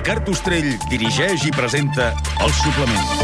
Ricard Ostrell dirigeix i presenta El Suplement.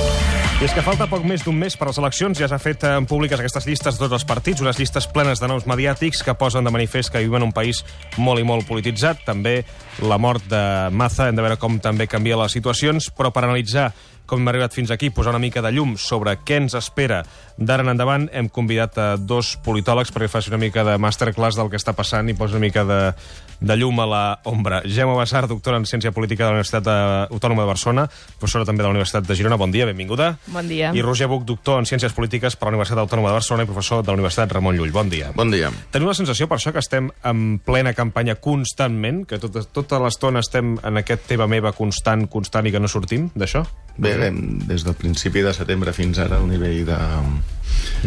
I és que falta poc més d'un mes per a les eleccions. Ja s'ha fet públiques aquestes llistes de tots els partits, unes llistes plenes de noms mediàtics que posen de manifest que vivim en un país molt i molt polititzat. També la mort de Maza, hem de veure com també canvia les situacions, però per analitzar com hem arribat fins aquí, posar una mica de llum sobre què ens espera d'ara en endavant, hem convidat a dos politòlegs perquè faci una mica de masterclass del que està passant i posi una mica de llum a la ombra. Gemma Basar, doctora en Ciència Política de la Universitat Autònoma de Barcelona, professora també de la Universitat de Girona. Bon dia, benvinguda. Bon dia. I Roger Buch, doctor en Ciències Polítiques per la Universitat Autònoma de Barcelona i professor de la Universitat Ramon Llull. Bon dia. Bon dia. Tenim la sensació, per això, que estem en plena campanya constantment, que tota l'estona estem en aquest teva meva constant i que no sortim d'això? Bé, des del principi de setembre fins ara, el nivell de...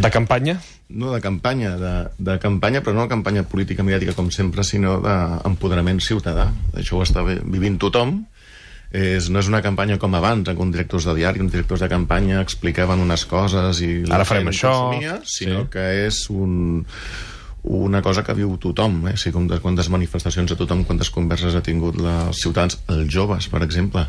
De campanya? No de campanya, de campanya, però no de campanya política mediàtica com sempre, sinó d'empoderament ciutadà. Això ho està vivint tothom. No és una campanya com abans, en què uns directors de diari, uns directors de campanya explicaven unes coses i... Ara farem això... Sinó que és una cosa que viu tothom, eh? Quantes manifestacions a tothom, quantes converses ha tingut els ciutadans, els joves, per exemple,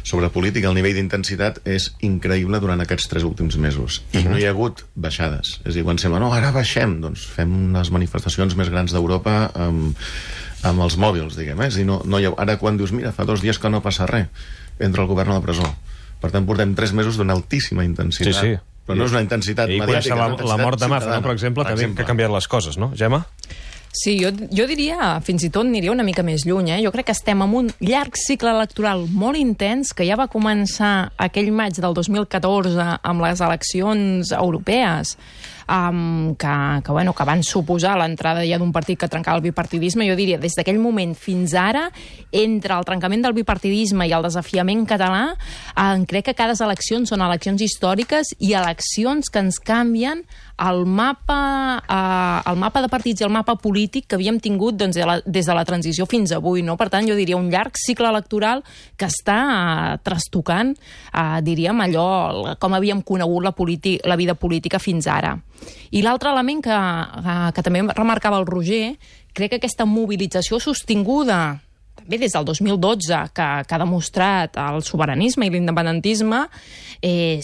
sobre política. El nivell d'intensitat és increïble durant aquests 3 últims mesos. I no hi ha hagut baixades. És a dir, quan sembla, no, ara baixem, doncs fem les manifestacions més grans d'Europa amb els mòbils, diguem. És a dir, ara quan dius, mira, fa 2 dies que no passa res, entra el govern a la presó. Per tant, portem 3 mesos d'una altíssima intensitat. Sí. Però no és una intensitat mediàtica. I la mort de Maza, no, per exemple, que ha canviat les coses, no? Gemma? Sí, jo diria, fins i tot aniria una mica més lluny. Jo crec que estem en un llarg cicle electoral molt intens que ja va començar aquell maig del 2014 amb les eleccions europees, que van suposar l'entrada ja d'un partit que trencava el bipartidisme. Jo diria, des d'aquell moment fins ara, entre el trencament del bipartidisme i el desafiament català, crec que cada eleccions són eleccions històriques i eleccions que ens canvien el mapa de partits i el mapa polític que havíem tingut des de la transició fins avui, no? Per tant, jo diria un llarg cicle electoral que està trastocant, diríem, allò com havíem conegut la vida política fins ara. I l'altre element que també remarcava el Roger, crec que aquesta mobilització sostinguda també des del 2012, que ha demostrat el sobiranisme i l'independentisme,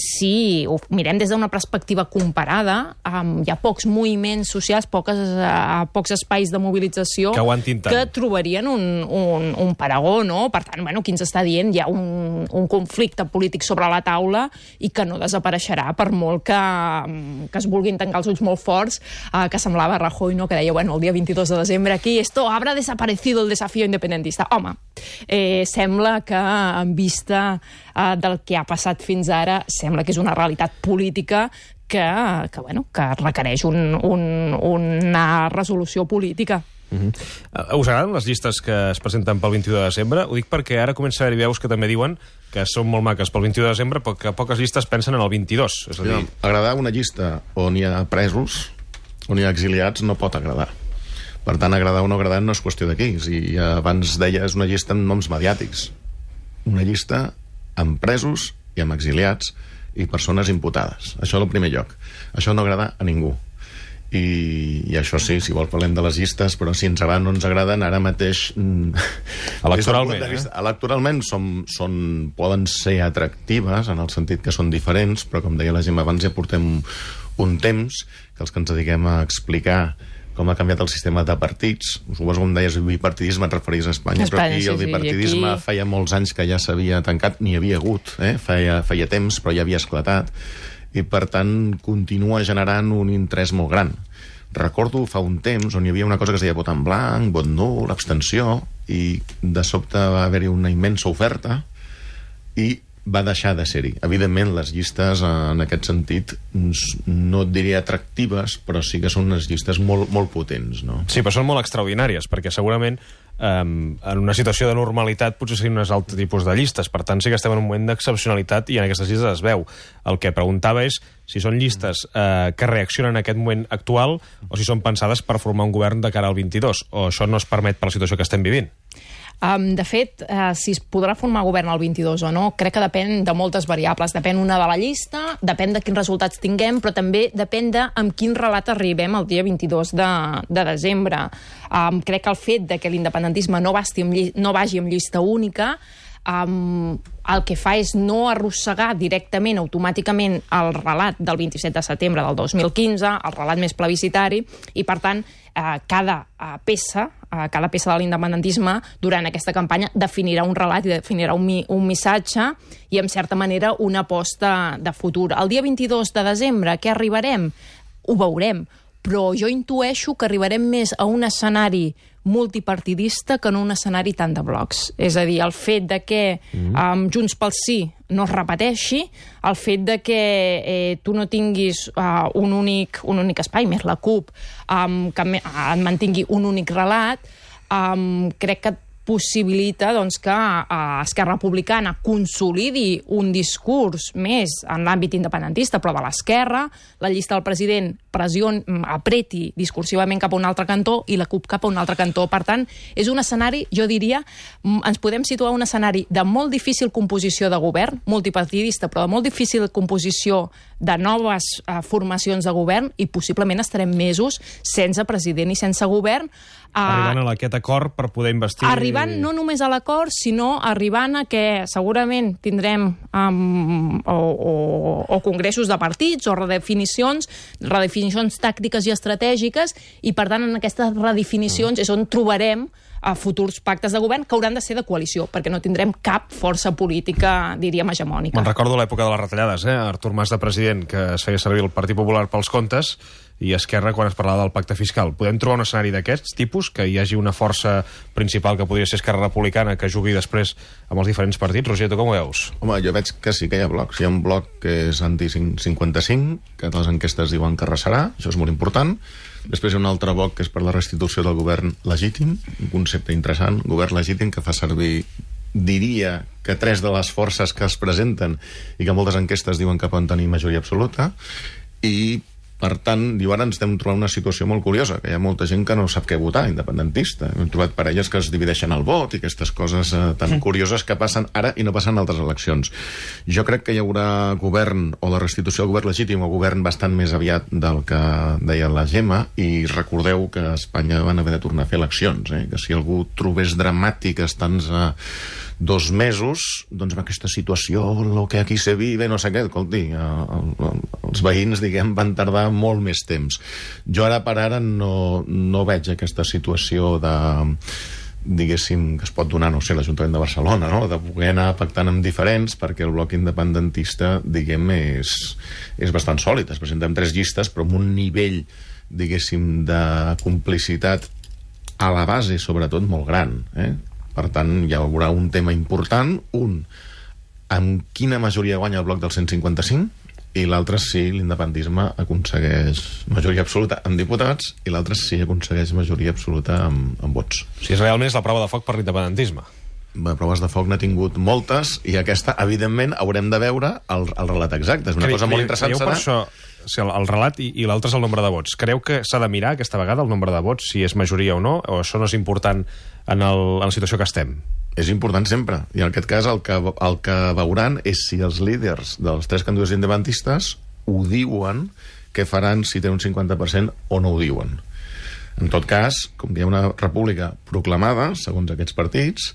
si ho mirem des d'una perspectiva comparada, hi ha pocs moviments socials, pocs espais de mobilització que trobarien un paragó, no? Per tant, qui ens està dient hi ha un conflicte polític sobre la taula i que no desapareixerà per molt que es vulguin tancar els ulls molt forts, que semblava Rajoy, no? Que deia, el dia 22 de desembre aquí, esto habrá desaparecido el desafío independentista. Home, sembla que en vista del que ha passat fins ara, sembla que és una realitat política que requereix una resolució política. Us agraden les llistes que es presenten pel 21 de desembre? Ho dic perquè ara comença a haver veus que també diuen que són molt maques pel 21 de desembre, però que poques llistes pensen en el 22. És a dir... Agradar una llista on hi ha presos, on hi ha exiliats, no pot agradar. Per tant, agradar o no agradar no és qüestió d'aquí. Abans deia, és una llista amb noms mediàtics. Una llista amb presos i amb exiliats i persones imputades. Això en el primer lloc. Això no agrada a ningú. I això sí, si vol parlem de les llistes, però si ens agraden o no ens agraden, ara mateix... Electoralment poden ser atractives, en el sentit que són diferents, però com deia la Gemma abans, ja portem un temps que els que ens dediquem a explicar com ha canviat el sistema de partits. Suposo que, com deies, el bipartidisme et referís a Espanya, però aquí el bipartidisme feia molts anys que ja s'havia tancat, n'hi havia hagut, feia temps, però ja havia esclatat, i per tant continua generant un interès molt gran. Recordo fa un temps on hi havia una cosa que es deia vot en blanc, vot nul, abstenció, i de sobte va haver-hi una immensa oferta i va deixar de ser-hi. Evidentment, les llistes, en aquest sentit, no et diria atractives, però sí que són unes llistes molt, molt potents, no? Sí, però són molt extraordinàries, perquè segurament en una situació de normalitat potser serien un altre tipus de llistes. Per tant, sí que estem en un moment d'excepcionalitat i en aquestes llistes es veu. El que preguntava és si són llistes que reaccionen a aquest moment actual o si són pensades per formar un govern de cara al 22, o això no es permet per la situació que estem vivint. De fet, si es podrà formar govern el 22 o no, crec que depèn de moltes variables. Depèn una de la llista, depèn de quins resultats tinguem, però també depèn de amb quin relat arribem el dia 22 de desembre. Crec que el fet de que l'independentisme no vagi amb llista única el que fa és no arrossegar directament, automàticament, el relat del 27 de setembre del 2015, el relat més plebiscitari, i, per tant, cada peça de l'independentisme durant aquesta campanya definirà un relat i definirà un missatge i, en certa manera, una aposta de futur. El dia 22 de desembre, què arribarem? Ho veurem, però jo intueixo que arribarem més a un escenari multipartidista que en un escenari tant de blocs. És a dir, el fet de que Junts pel Sí no es repeteixi, el fet de que tu no tinguis un únic espai, més la CUP, que et mantingui un únic relat, crec que possibilita que Esquerra Republicana consolidi un discurs més en l'àmbit independentista, però de l'esquerra, la llista del president apreti discursivament cap a un altre cantó i la CUP cap a un altre cantó. Per tant, és un escenari, jo diria, ens podem situar un escenari de molt difícil composició de govern, multipartidista, però de molt difícil composició de noves formacions de govern, i possiblement estarem mesos sense president i sense govern. Arribant a aquest acord per poder investir... Arribant no només a l'acord, sinó arribant a que segurament tindrem o congressos de partits o redefinicions tàctiques i estratègiques, i, per tant, en aquestes redefinicions és on trobarem futurs pactes de govern que hauran de ser de coalició, perquè no tindrem cap força política, diríem, hegemònica. Me'n recordo l'època de les retallades, Artur Mas de president, que es feia servir el Partit Popular pels comptes, i Esquerra quan es parlava del pacte fiscal. Podem trobar un escenari d'aquests tipus, que hi hagi una força principal que podria ser Esquerra Republicana, que jugui després amb els diferents partits? Roger, tu com ho veus? Home, jo veig que sí que hi ha blocs. Hi ha un bloc que és anti-55, que les enquestes diuen que arrasarà, això és molt important. Després hi ha un altre bloc que és per la restitució del govern legítim, un concepte interessant, govern legítim, que fa servir, diria, que 3 de les forces que es presenten i que moltes enquestes diuen que poden tenir majoria absoluta, i per tant, diu, ara ens estem trobant una situació molt curiosa, que hi ha molta gent que no sap què votar, independentista. Hem trobat parelles que es divideixen el vot i aquestes coses tan curioses que passen ara i no passen en altres eleccions. Jo crec que hi haurà govern, o la restitució del govern legítim, o govern bastant més aviat del que deia la Gemma, i recordeu que a Espanya van haver de tornar a fer eleccions, que si algú trobés dramàtic estant 2 mesos, doncs amb aquesta situació, el que aquí se vive, no sé què, escolti, els veïns, diguem, van tardar molt més temps. Jo ara per ara no veig aquesta situació de, diguéssim, que es pot donar, no sé, l'Ajuntament de Barcelona, no?, de poder anar pactant amb diferents, perquè el bloc independentista, diguem, és bastant sòlid. Es presenten 3 llistes, però amb un nivell, diguéssim, de complicitat a la base, sobretot, molt gran, Per tant, hi haurà un tema important, amb quina majoria guanya el bloc del 155, i l'altre si l'independentisme aconsegueix majoria absoluta amb diputats, i l'altre si aconsegueix majoria absoluta amb vots. Si és realment la prova de foc per l'independentisme. Proves de foc n'ha tingut moltes, i aquesta, evidentment, haurem de veure el relat exacte. És una cosa molt interessant. Per això, el relat i l'altre és el nombre de vots. Creu que s'ha de mirar aquesta vegada el nombre de vots, si és majoria o no, o això no és important en la situació que estem? És important sempre, i en aquest cas el que veuran és si els líders dels 3 candidats independentistes ho diuen, què faran, si tenen un 50% o no ho diuen. En tot cas, com que hi ha una república proclamada, segons aquests partits,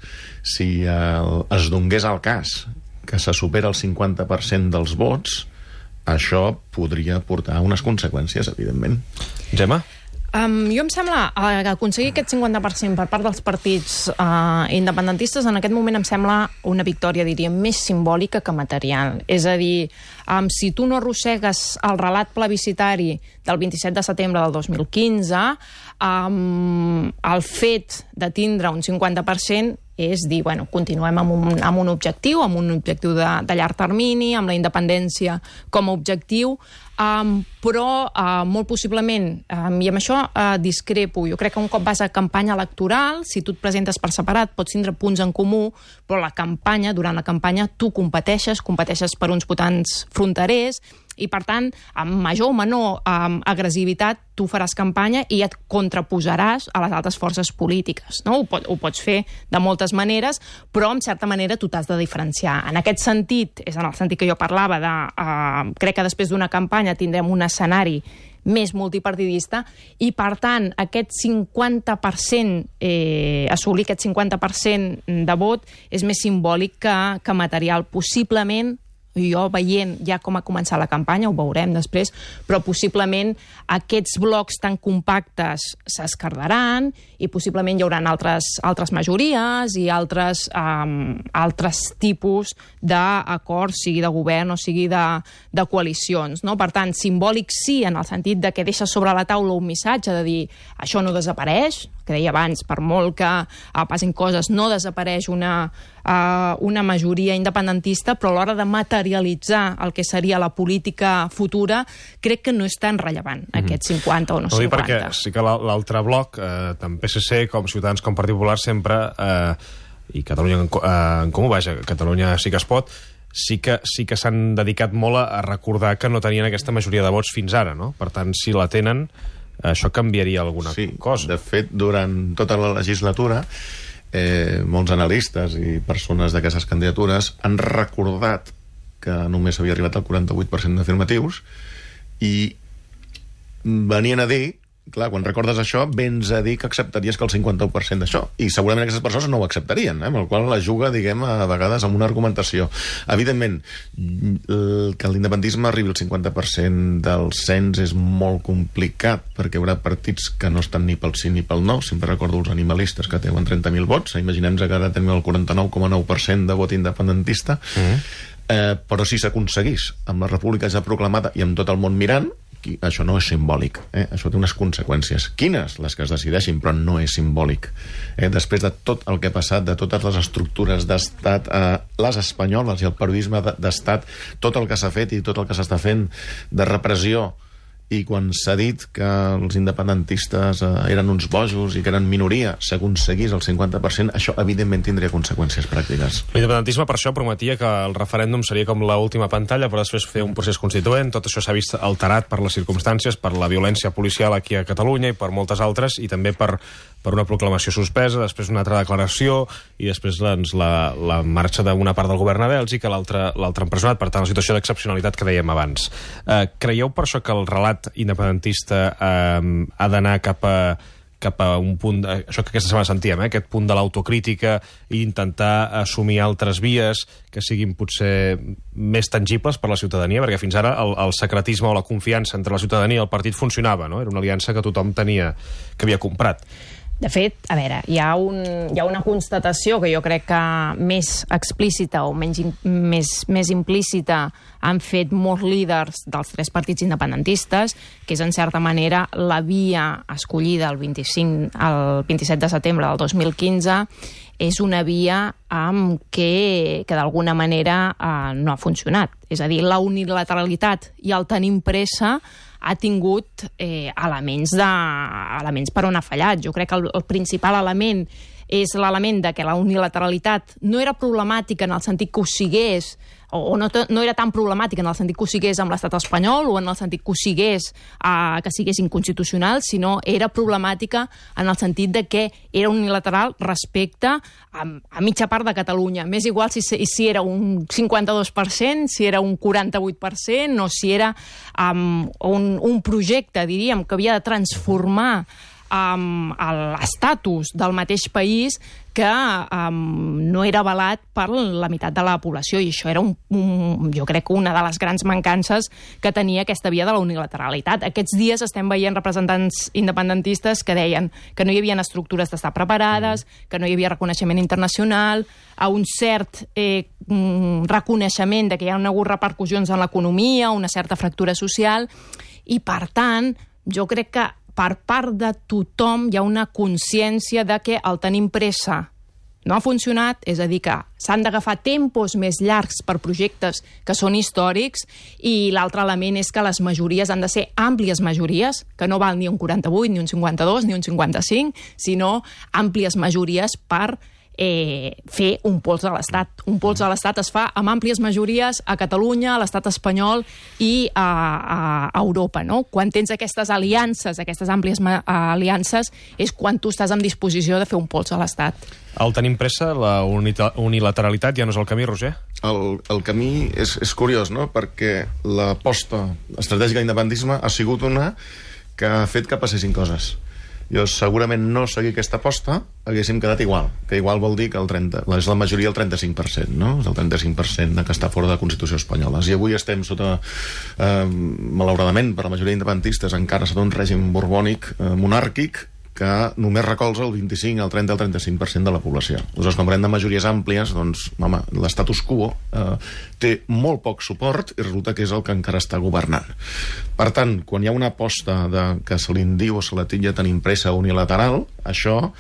si es donés el cas que se supera el 50% dels vots, això podria portar unes conseqüències, evidentment. Gemma? Jo em sembla que aconseguir aquest 50% per part dels partits independentistes en aquest moment em sembla una victòria, diríem, més simbòlica que material. És a dir, si tu no arrossegues el relat plebiscitari del 27 de setembre del 2015, el fet de tindre un 50% és dir, bueno, continuem amb un objectiu de llarg termini, amb la independència com a objectiu, però molt possiblement, i amb això discrepo, jo crec que un cop vas a campanya electoral, si tu et presentes per separat, pots tindre punts en comú, però durant la campanya tu competeixes per uns votants fronterers, i per tant, amb major o menor agressivitat, tu faràs campanya i et contraposaràs a les altres forces polítiques, no? Ho pots fer de moltes maneres, però en certa manera tu t'has de diferenciar. En aquest sentit, és en el sentit que jo parlava de crec que després d'una campanya tindrem un escenari més multipartidista, i per tant aquest 50%, assolir aquest 50% de vot és més simbòlic que material. Possiblement, jo veient ja com ha començat la campanya, ho veurem després, però possiblement aquests blocs tan compactes s'esquerdaran i possiblement hi haurà altres majories i altres tipus d'acords, sigui de govern o sigui de coalicions, no? Per tant, simbòlic sí, en el sentit de que deixa sobre la taula un missatge de dir això no desapareix, que deia abans, per molt que passin coses, no desapareix una majoria independentista, però a l'hora de materialitzar el que seria la política futura, crec que no és tan rellevant, aquest 50 o no 50. Perquè sí que l'altre bloc, tant PSC com Ciutadans com Partit Popular sempre, i Catalunya en Comú, vaja, Catalunya sí que es pot, sí que s'han dedicat molt a recordar que no tenien aquesta majoria de vots fins ara, no? Per tant, si la tenen, això canviaria alguna cosa. Sí, de fet, durant tota la legislatura, molts analistes i persones d'aquestes candidatures han recordat que només havia arribat al 48% d'afirmatius i venien a dir, clar, quan recordes això, vens a dir que acceptaries que el 51% d'això. I segurament aquestes persones no ho acceptarien, amb el qual la juga, diguem, a vegades amb una argumentació. Evidentment, que l'independentisme arribi al 50% del cens és molt complicat, perquè hi haurà partits que no estan ni pel sí ni pel no. Sempre recordo els animalistes que teuen 30.000 vots. Imaginem-nos que ara tenim el 49,9% de vot independentista. Però si s'aconseguís amb la república ja proclamada i amb tot el món mirant, això no és simbòlic, això té unes conseqüències. Quines? Les que es decideixin, però no és simbòlic. Després de tot el que ha passat, de totes les estructures d'estat, les espanyoles i el periodisme d'estat, tot el que s'ha fet i tot el que s'està fent de repressió, i quan s'ha dit que els independentistes eren uns bojos i que eren minoria, s'aconseguís el 50%, això evidentment tindria conseqüències pràctiques. L'independentisme per això prometia que el referèndum seria com l'última pantalla, però després fer un procés constituent. Tot això s'ha vist alterat per les circumstàncies, per la violència policial aquí a Catalunya i per moltes altres, i també per una proclamació suspesa, després una altra declaració i després la marxa d'una part del govern a Bèlgica, l'altre empresonat. Per tant, la situació d'excepcionalitat que dèiem abans. Creieu per això que el relat independentista ha d'anar cap a un punt, això que aquesta setmana sentíem, aquest punt de l'autocrítica i intentar assumir altres vies que siguin potser més tangibles per la ciutadania, perquè fins ara el secretisme o la confiança entre la ciutadania i el partit funcionava, no? Era una aliança que tothom tenia, que havia comprat. De fet, a veure, hi ha una constatació que jo crec que més explícita o més implícita han fet molts líders dels tres partits independentistes, que és en certa manera la via escollida el 27 de setembre del 2015, és una via que d'alguna manera no ha funcionat. És a dir, la unilateralitat i el tenim pressa ha tingut elements per on ha fallat. Jo crec que el principal element és l'element de que la unilateralitat no era problemàtica en el sentit que ho sigués, o no era tan problemàtica en el sentit que ho sigués amb l'estat espanyol o en el sentit que ho sigués que sigués inconstitucional, sinó era problemàtica en el sentit de que era unilateral respecte a mitja part de Catalunya. M'és igual si era un 52%, si era un 48%, o si era un projecte, diríem, que havia de transformar l'estatus del mateix país, que no era avalat per la meitat de la població, i això era jo crec que una de les grans mancances que tenia aquesta via de la unilateralitat. Aquests dies estem veient representants independentistes que deien que no hi havia estructures d'estar preparades, que no hi havia reconeixement internacional, a un cert reconeixement de que hi ha hagut repercussions en l'economia, una certa fractura social, i per tant, jo crec que per part de tothom hi ha una consciència de que el tenim pressa no ha funcionat, és a dir, que s'han d'agafar tempos més llargs per projectes que són històrics, i l'altre element és que les majories han de ser àmplies majories, que no val ni un 48, ni un 52, ni un 55, sinó àmplies majories per fer un pols a l'Estat. Un pols a l'Estat es fa amb àmplies majories a Catalunya, a l'Estat espanyol i a Europa, no? Quan tens aquestes aliances, aquestes àmplies aliances, és quan tu estàs en disposició de fer un pols a l'Estat. Al tenim pressa, la unilateralitat ja no és el camí, Roger? El camí és curiós, no? Perquè l'aposta estratègica de l'independentisme ha sigut una que ha fet que passessin coses. Jo segurament no seguir aquesta aposta haguéssim quedat igual, que igual vol dir que és la majoria el 35%, no? És el 35% que està fora de la Constitució espanyola. I avui estem sota, malauradament, per la majoria d'independentistes, encara sota un règim borbònic, monàrquic, que només recolza el 25, el 30, el 35% de la població. Aleshores, quan parlem de majories àmplies, doncs, home, l'estatus quo té molt poc suport i resulta que és el que encara està governant. Per tant, quan hi ha una aposta que se li diu o se la titlla tan impresa unilateral, això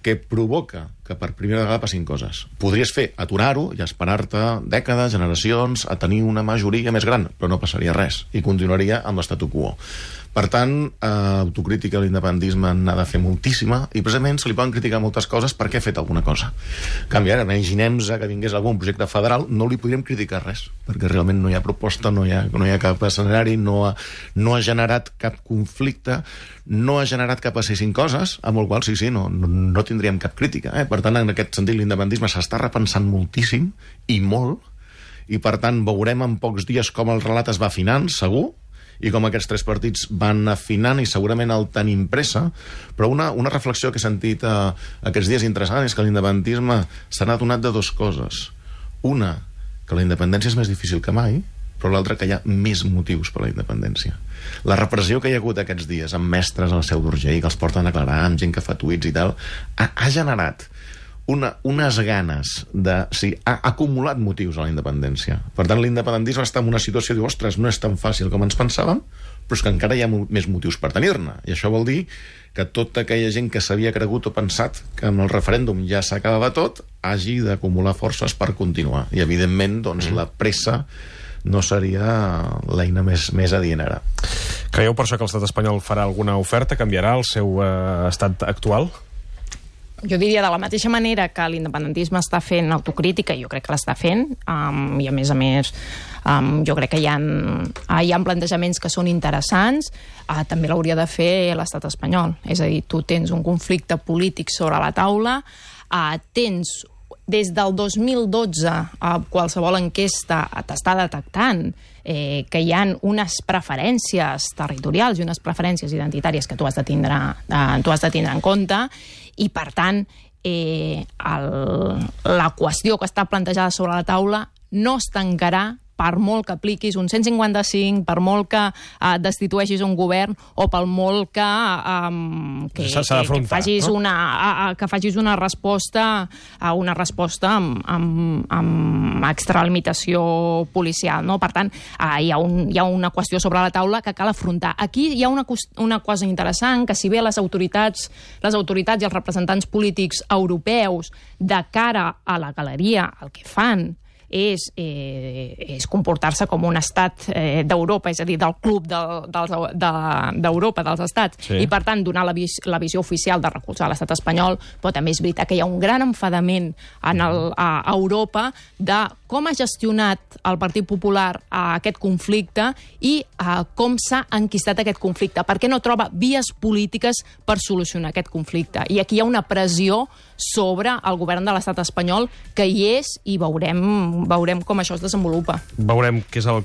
que provoca que per primera vegada passin coses. Podries fer aturar-ho i esperar-te dècades, generacions, a tenir una majoria més gran, però no passaria res i continuaria amb l'estatu quo. Per tant, autocrítica a l'independentisme n'ha de fer moltíssima i precisament se li poden criticar moltes coses perquè ha fet alguna cosa. En canvi, ara, imaginem-nos que vingués algun projecte federal, no li podríem criticar res, perquè realment no hi ha proposta, no hi ha cap escenari, no ha generat cap conflicte, no ha generat que passessin coses, amb el qual sí, no tindríem cap crítica. Per tant, en aquest sentit, l'independentisme s'està repensant moltíssim i molt, i per tant veurem en pocs dies com el relat es va afinant, segur, i com aquests tres partits van afinant i segurament el tenim pressa, però una reflexió que he sentit aquests dies interessant és que l'independentisme s'ha adonat de dues coses. Una, que la independència és més difícil que mai, però l'altra, que hi ha més motius per a la independència. La repressió que hi ha hagut aquests dies amb mestres a la Seu d'Urgell, que els porten a declarar, amb gent que fa tuits i tal, ha generat unes ganes ha acumulat motius a la independència. Per tant, l'independentisme està en una situació de dir, ostres, no és tan fàcil com ens pensàvem, però és que encara hi ha més motius per tenir-ne. I això vol dir que tota aquella gent que s'havia cregut o pensat que amb el referèndum ja s'acabava tot, hagi d'acumular forces per continuar. I, evidentment, doncs, la pressa no seria l'eina més adient ara. Creieu per això que l'estat espanyol farà alguna oferta? Canviarà el seu estat actual? Jo diria, de la mateixa manera que l'independentisme està fent autocrítica, jo crec que l'està fent, i a més, jo crec que hi ha plantejaments que són interessants, també l'hauria de fer l'estat espanyol. És a dir, tu tens un conflicte polític sobre la taula, tens des del 2012 qualsevol enquesta t'està detectant que hi ha unes preferències territorials i unes preferències identitàries que tu has de tindre en compte, i per tant la qüestió que està plantejada sobre la taula no es tancarà per molt que apliquis un 155, per molt que destitueixis un govern o per molt que facis una resposta amb extralimitació policial, no? Per tant, hi ha una qüestió sobre la taula que cal afrontar. Aquí hi ha una cosa interessant, que si bé les autoritats i els representants polítics europeus de cara a la galeria el que fan és comportar-se com un estat d'Europa, és a dir, del club d'Europa, dels estats, sí. I per tant donar la visió oficial de recolzar l'estat espanyol, però també és veritat que hi ha un gran enfadament a Europa de com ha gestionat el Partit Popular aquest conflicte i com s'ha enquistat aquest conflicte, perquè no troba vies polítiques per solucionar aquest conflicte. I aquí hi ha una pressió sobre el govern de l'estat espanyol que hi és, i veurem com això es desenvolupa. Veurem què és el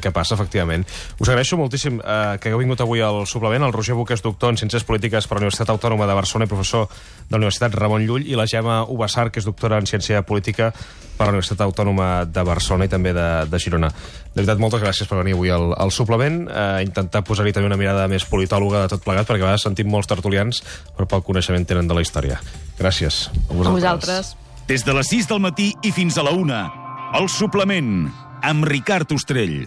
que passa, efectivament. Us agraeixo moltíssim que hagueu vingut avui al suplement. El Roger Buch és doctor en Ciències Polítiques per la Universitat Autònoma de Barcelona i professor de la Universitat Ramon Llull, i la Gemma Ubassar, que és doctora en Ciència Política per la Universitat Autònoma de Barcelona i també de Girona. De veritat, moltes gràcies per venir avui al suplement, intentar posar-hi també una mirada més politòloga de tot plegat, perquè a vegades sentim molts tertulians, però poc coneixement tenen de la història. Gràcies. A vosaltres. Des de les 6 del matí i fins a la 1, el suplement, amb Ricard Ostrell.